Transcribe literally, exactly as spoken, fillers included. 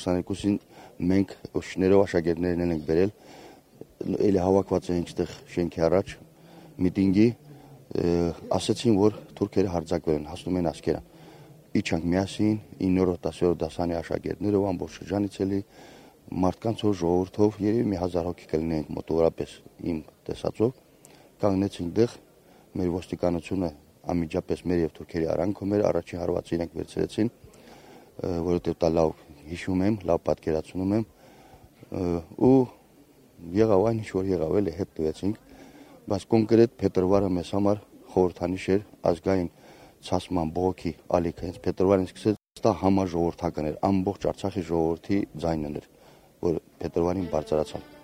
քսաներկուսին մենք շներով աշակերտներն ենք բերել, էլի հավաքված էինք այդտեղ շենքի առաջ միտինգի, ասացին, որ թուրքերը հարձակվել են, հասնում են ասկերը։ Իջանք միասին իններորդ դասերորդ դասանի աշակերտներով ամբողջ շրջանից էլի մարդկանցով, ժողովրդով, երևի մի հազար հոգի կլինենք մոտավորապես իմ տեսածով, կանգնեցինք դեղ, մեր ոստիկանությունը անմիջապես մեր եւ թուրքերի արանքով մեր առաջին հարվածը իրենք վերցրեցին, որովհետեւ դա լավ հիշում եմ, լավ պատկերացնում եմ, ու եղավ այն ինչ որ եղավ, էլի հետ տվեցինք, բայց կոնկրետ փետրվարը մեզ համար խորհրդանիշ էր ազգային ցասման բողոքի ալիքը, հենց փետրվարին սկսեց դա համաժողովրդական էր, ամբողջ Արցախի ժողովրդի ձայնն էր, որ փետրվարին բարձրացավ։